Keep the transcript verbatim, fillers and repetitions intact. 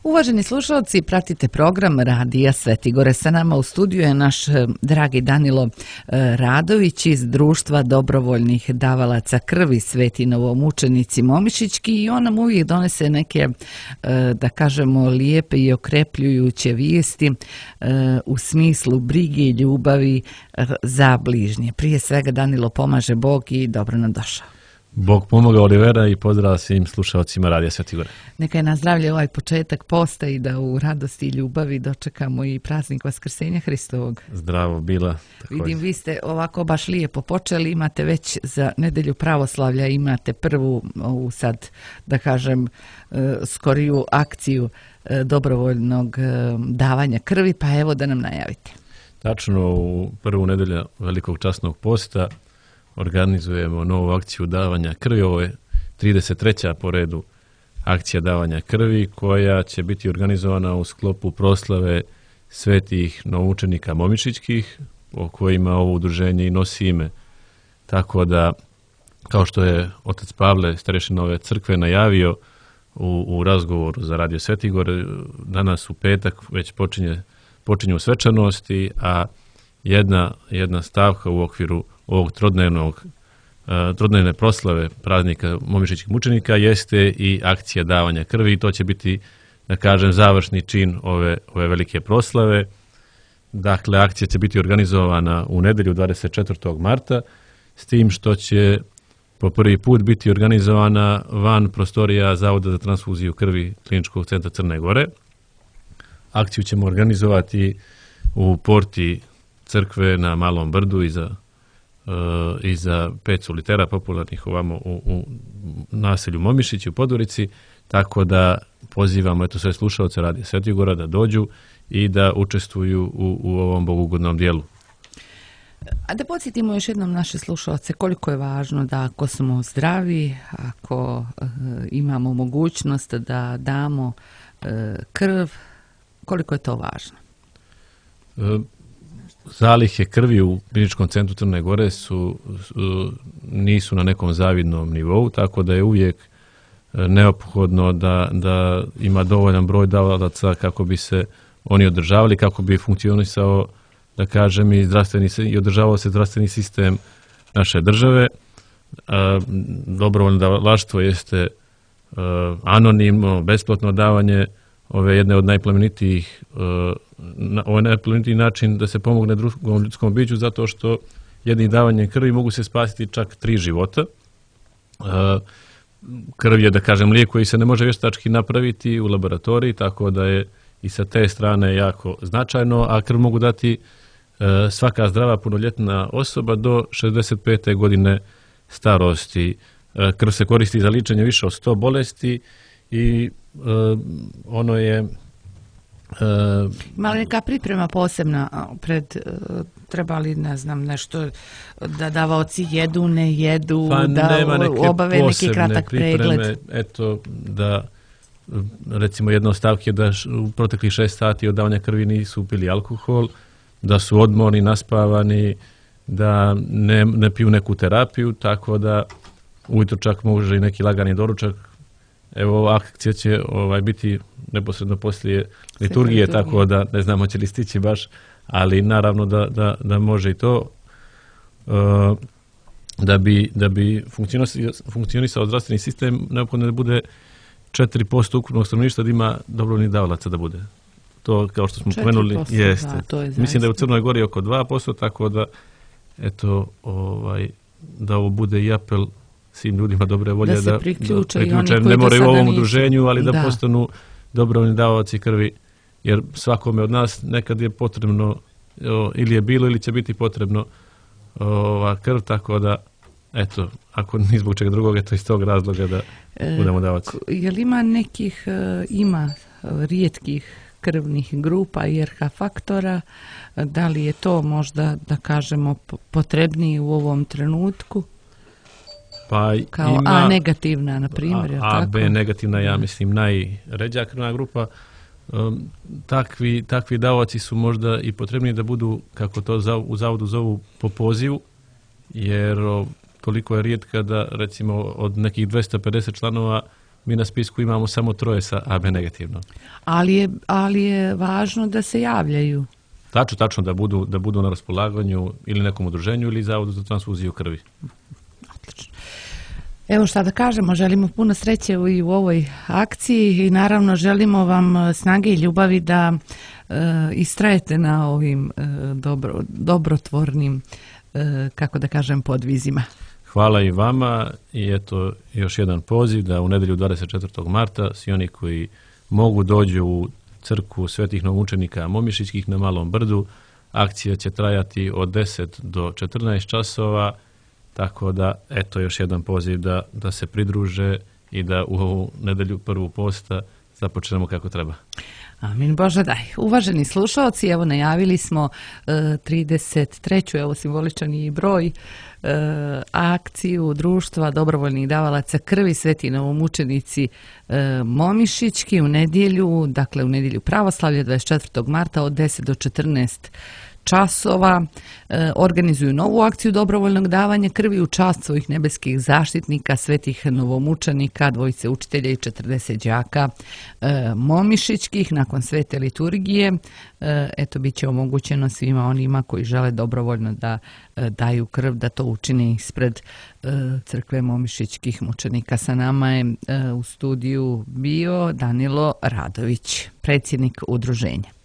Uvaženi slušalci, pratite program Radija Svetigore. Sa nama u studiju je naš dragi Danilo Radović iz Društva dobrovoljnih davalaca krvi Sveti novomučenici Momišićki i on nam uvijek donese neke, da kažemo, lijepe i okrepljujuće vijesti u smislu brige i ljubavi za bližnje. Prije svega, Danilo, pomaže Bog i dobro nam došao. Bog pomogao, Olivera, i pozdrav svim slušalcima Radija Svetigore. Neka je na zdravlje ovaj početak posta i da u radosti i ljubavi dočekamo i praznik Vaskrsenja Hristovog. Zdravo bila. Također. Vidim, vi ste ovako baš lijepo počeli, imate već za nedelju pravoslavlja, imate prvu, ovu sad, da kažem, skoriju akciju dobrovoljnog davanja krvi, pa evo da nam najavite. Tačno, u prvu nedelju Velikog časnog posta organizujemo novu akciju davanja krvi. Ovo je trideset treća po redu akcija davanja krvi koja će biti organizovana u sklopu proslave svetih novoučenika Momišićkih, o kojima ovo udruženje i nosi ime. Tako da, kao što je otac Pavle, starešina ove crkve, najavio u, u razgovoru za Radio Svetigore, danas u petak već počinje, počinju svečanosti, a jedna, jedna stavka u okviru ovog trodnevnog, trodnevne proslave praznika Momišićkih mučenika jeste i akcija davanja krvi i to će biti, da kažem, završni čin ove, ove velike proslave. Dakle, akcija će biti organizovana u nedelju dvadeset četvrtog marta, s tim što će po prvi put biti organizovana van prostorija Zavoda za transfuziju krvi Kliničkog centra Crne Gore. Akciju ćemo organizovati u porti crkve na Malom Brdu iza i za pet solitera popularnih ovamo u, u naselju Momišić u Podgorici, tako da pozivamo eto sve slušalce Radija Svetigora da dođu i da učestvuju u, u ovom bogugodnom dijelu. A da podsjetimo još jednom naše slušalce koliko je važno da ako smo zdravi, ako e, imamo mogućnost da damo e, krv, koliko je to važno? E, Zalihe krvi u Kliničkom centru Crne Gore su, su, nisu na nekom zavidnom nivou, tako da je uvijek neophodno da, da ima dovoljan broj davalaca kako bi se oni održavali, kako bi funkcionisao, da kažem, i, zdravstveni, i održavao se zdravstveni sistem naše države. A, dobrovoljno davalaštvo jeste a, anonimno, besplatno davanje ove jedne od najplemenitijih, na, ovaj najplemenitiji način da se pomogne drugom ljudskom biću, zato što jednim davanjem krvi mogu se spasiti čak tri života. Krv je, da kažem, lijek koji se ne može vještački napraviti u laboratoriji, tako da je i sa te strane jako značajno, a krv mogu dati svaka zdrava punoljetna osoba do šezdeset pete godine starosti. Krv se koristi za liječenje više od sto bolesti i Uh, ono je uh, ima li neka priprema posebna pred uh, treba li, ne znam, nešto da davaoci jedu, ne jedu, pa da obave neki kratak pripreme, pregled? Eto, da recimo jedna od stavki je da u proteklih šest sati od davanja krvi nisu pili alkohol, da su odmorni, naspavani, da ne, ne piju neku terapiju, tako da ujutro čak može i neki lagani doručak. Evo, akcija će ovaj, biti neposredno poslije liturgije, tako da ne znam hoće li stići baš, ali naravno da, da, da može i to. Uh, da bi, da bi funkcionisao, funkcionisao zdravstveni sistem, neophodno da bude četiri posto ukupnog stanovništva da ima dobrovoljnih davalaca da bude. To, kao što smo pomenuli, jeste. Da, to je mislim da je u Crnoj Gori oko dva posto, tako da eto, ovaj, da ovo bude i apel svim ljudima dobre volje da, da priključe, da priključe, ne moraju u ovom udruženju, ali da, da postanu dobrovoljni davalaci krvi, jer svakome od nas nekad je potrebno, o, ili je bilo ili će biti potrebno ova krv, tako da eto, ako ni zbog čega drugog, eto iz tog razloga da e, budemo davaci. Je li ima nekih, ima rijetkih krvnih grupa i R H faktora, da li je to možda, da kažemo, potrebniji u ovom trenutku? Pa kao ima, A negativna, na primjer. A, A B negativna, ja mislim, najređa krvna grupa. Um, takvi, takvi davaoci su možda i potrebni da budu, kako to za, u zavodu zovu, po pozivu, jer o, toliko je rijetka da, recimo, od nekih dvesta pedeset članova mi na spisku imamo samo troje sa A B negativno. Ali je, ali je važno da se javljaju. Tačno, tačno da budu, da budu na raspolaganju ili nekom udruženju ili Zavodu za transfuziju krvi. Odlično. Evo šta da kažemo, želimo puno sreće i u ovoj akciji i naravno želimo vam snage i ljubavi da e, istrajete na ovim e, dobro, dobrotvornim, e, kako da kažem, podvizima. Hvala i vama i eto još jedan poziv da u nedjelju dvadeset četvrtog marta svi oni koji mogu dođu u crkvu svetih novomučenika Momišićkih na Malom Brdu. Akcija će trajati od deset do četrnaest časova, tako da eto još jedan poziv da, da se pridruže i da u ovu nedjelju prvu posta započnemo kako treba. Amin Bože daj. Uvaženi slušalci, evo najavili smo e, trideset treću evo simboličan i broj e, akciju društva dobrovoljnih davalaca krvi Sveti novomučenici e, Momišićki u nedjelju, dakle u nedjelju pravoslavlja dvadeset četvrtog marta od deset do četrnaest časova e, organizuju novu akciju dobrovoljnog davanja krvi u čast svojih nebeskih zaštitnika, svetih novomučenika, dvojice učitelja i četrdeset đaka e, Momišićkih. Nakon svete liturgije e, eto bit će omogućeno svima onima koji žele dobrovoljno da e, daju krv, da to učine ispred e, crkve Momišićkih mučenika. Sa nama je e, u studiju bio Danilo Radović, predsjednik udruženja.